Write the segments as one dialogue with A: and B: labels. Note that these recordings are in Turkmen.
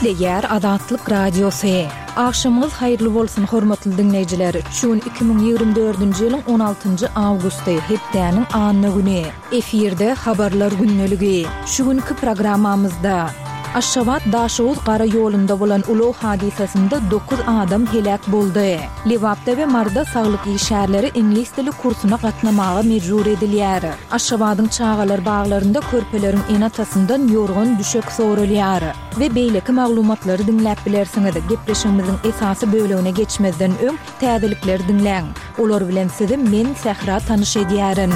A: Gepleýär Azatlyk Radiosy. Agşamyňyz haýyrly bolsun, hormatly diňleýjiler! Şu gün 2024-nji ýylyň on altynjy awgusty, hepdäniň anna güni. Efirde Habarlar gündeligi. Şu günki programmamyzda. Aşgabat, Daşoguz gara ýolunda bolan ulag hadysasynda dokuz adam heläk boldy. Lebapda we Maryda saglyk işgärleri iňlis dili kursuna gatnamaga mejbur edilýär. Aşgabadyň çagalar baglarynda körpeleriň ene-atasyndan ýorgan-düşek soralýar. We beýleki maglumatlary diňläp bilersiňiz. Gepleşigimiziň esasy bölegine geçmezden öň, täzelikleri diňläň. Olar bilen sizi men, Sähra tanyş edýärin.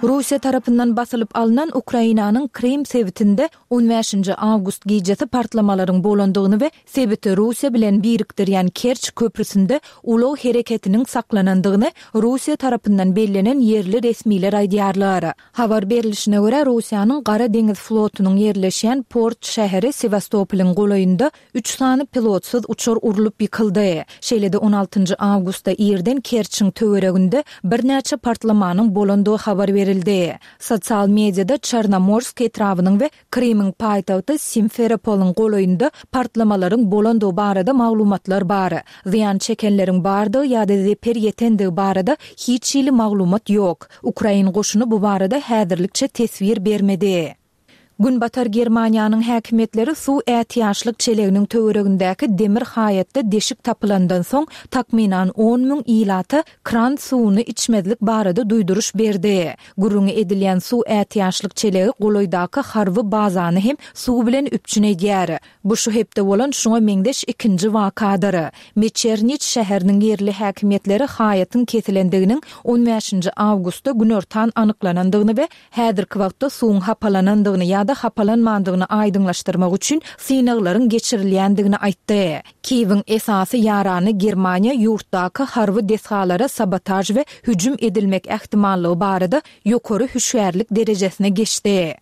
A: Russiýa tarapyndan basylyp alnan Ukrainanyň Krym sebitinde on bäşinji awgust gijesi partlamalaryň bolandygyny we sebiti Russiýa bilen birikdirýän Kerç köprüsinde ulag hereketiniň saklanandygyny Russiýa tarapyndan bellenen ýerli resmiler aýdýarlar. Habar berlişine görä, Russiýanyň Gara deňiz flotunyň ýerleşýän port şäheri Sewastopolyň golaýynda üç sany pilotsyz uçar urlup ýykyldy. Şeýle-de on altynjy awgustda irden Kerçiň töwereginde birnäçe partlamanyň bolandygy habar berildi. Sosial mediada Çernomorsk etrabynyň we Krymyň paýtagty Simferopolyň golaýynda partlamalaryň bolandygy barada maglumatlar bar. Zyýan çekenleriň bardygy ýa-da zeper ýetendigi barada hiç hili maglumat ýok. Ukrain goşuny bu barada häzirlikçe teswir bermedi. Günbatar Germaniýanyň häkimiýetleri suw ätiýaçlyk çeleginiň töweregindäki demir haýatda deşik tapylandan soň, takmynan on müň ilata kran suwuny içmezlik barada duýduryş berdi. Gürrüňi edilýän suw ätiýaçlyk çelegi golaýdaky harby bazany hem suw bilen üpjün edýär. Bu şu hepde bolan şuňa meňzeş ikinji wakadyr. Meçerniç şäheriniň ýerli häkimiýetleri haýatyň kesilendiginiň on bäşinji awgustda günortan anyklanandygyny we häzirki wagtda suwuň hapalanandygyny ýa-da hapalanmandygyny aýdyňlaşdyrmak üçin synaglaryň geçirilýändigini aýtdy. Kiýewiň esasy ýarany Germaniýa ýurtdaky harby desgalara sabotaž we hüjüm edilmek ähtimallygy barada ýokary hüşgärlik derejesine geçdi.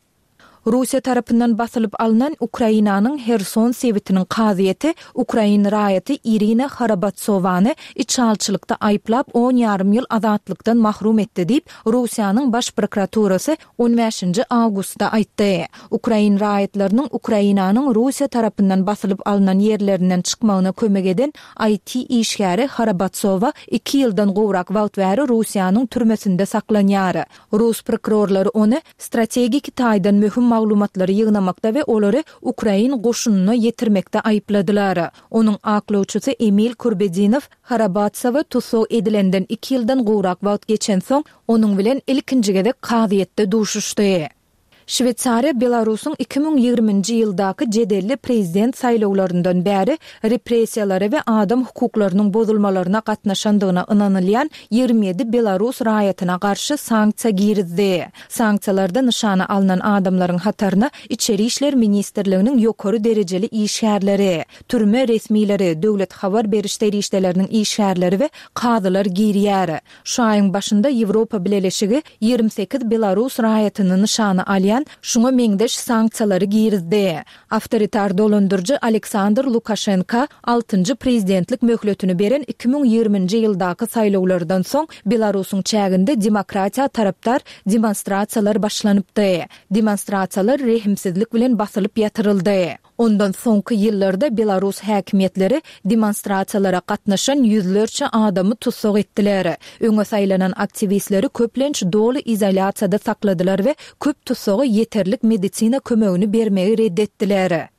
A: Russiýa tarapyndan basylyp alnan Ukrainanyň Herson sebitiniň kazyýeti ukrain raýaty Irina Harabatsowany içalyçylykda aýyplap on ýarym ýyl azatlykdan mahrum etdi diýip, Russiýanyň Baş prokuraturasy on bäşinji awgustda aýtdy. Ukrain raýatlarynyň Ukrainanyň Russiýa tarapyndan basylyp alnan ýerlerinden çykmagyna kömek eden IT işgäri Harabatsowa iki ýyldan gowrak wagt bäri Russiýanyň türmesinde saklanýar. Rus prokurorlary ony strategik taýdan möhüm maglumatlary ýygnamakda we olary ukrain goşunyna ýetirmekde aýypladylar. Onuň aklawçysy Emil Kurbedinow Harabatsowa tussag edilenden iki ýyldan gowrak wagt geçensoň, onuň bilen ilkinji gezek kazyýetde duşuşdy. Şweýsariýa Belarusyň 2020-nji ýyldaky jedelli prezident saýlawlaryndan bäri repressiýalara we adam hukuklarynyň bozulmalaryna gatnaşandygyna ynanylýan 27 belarus raýatyna garşy sanksiýa girizdi. Sanksiýalarda nyşana alnan adamlaryň hataryna Içeri işler ministrliginiň ýokary derejeli işgärleri, türme resmileri, döwlet habar beriş serişdeleriniň işgärleri we kazylar girýär. Şu aýyň başynda Ýewropa Bileleşigi 28 belarus raýatyny nyşana alýan şuňa meňzeş sanksiýalary girizdi. Awtoritar dolandyryjy Aleksandr Lukaşenka altynjy prezidentlik möhletini beren 2020-nji ýyldaky saýlawlardan soň Belarusyň çäginde demokratiýa tarapdar demonstrasiýalar başlanypdy. Demonstrasiýalar rehimsizlik bilen basylyp ýatyryldy. Ondan soňky ýyllarda belarus häkimiýetleri demonstrasiýalara gatnaşan ýüzlerçe adamy tussag etdiler. Öňe saýlanan aktiwistleri köplenç doly izolýasiýada sakladylar we köp tussaga ýeterlik medisina kömegini bermegi red etdiler.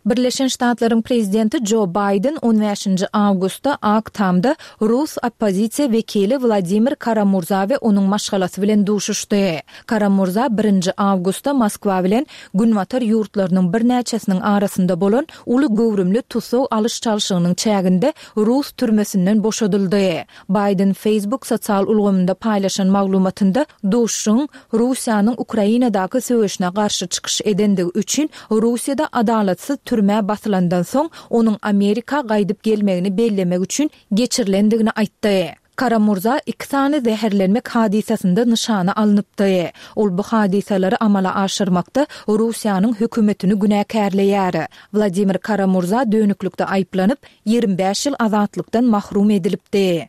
A: Birleşen Ştatlaryň prezidenti Jo Baýden on bäşinji awgustda Ak Tamda rus oppozisiýa wekili Wladimir Kara-Murza we onuň maşgalasy bilen duşuşdy. Kara-Murza birinji awgustda Moskwa bilen Günbatar ýurtlarynyň birnäçesiniň arasynda bolan uly göwrümli tussag alyş-çalşygynyň çäginde rus türmesinden boşadyldy. Baýden Facebook sosial ulgamynda paýlaşan maglumatynda duşuşygyň Russiýanyň Ukrainadaky söweşine garşy çykyş edendigi üçin Russiýada adalatsyz türmä basylandan soň onuň Amerika gaýdyp gelmegini bellemek üçin geçirilendigini aýtdy. Kara-Murza iki sany zäherlenmek hadysasynda nyşana alnypdy. Ol bu hadysalary amala aşyrmakda Russiýanyň hökümetini günäkärleýär. Wladimir Kara-Murza dönüklikde aýyplanyp, 25 ýyl azatlykdan mahrum edilipdi.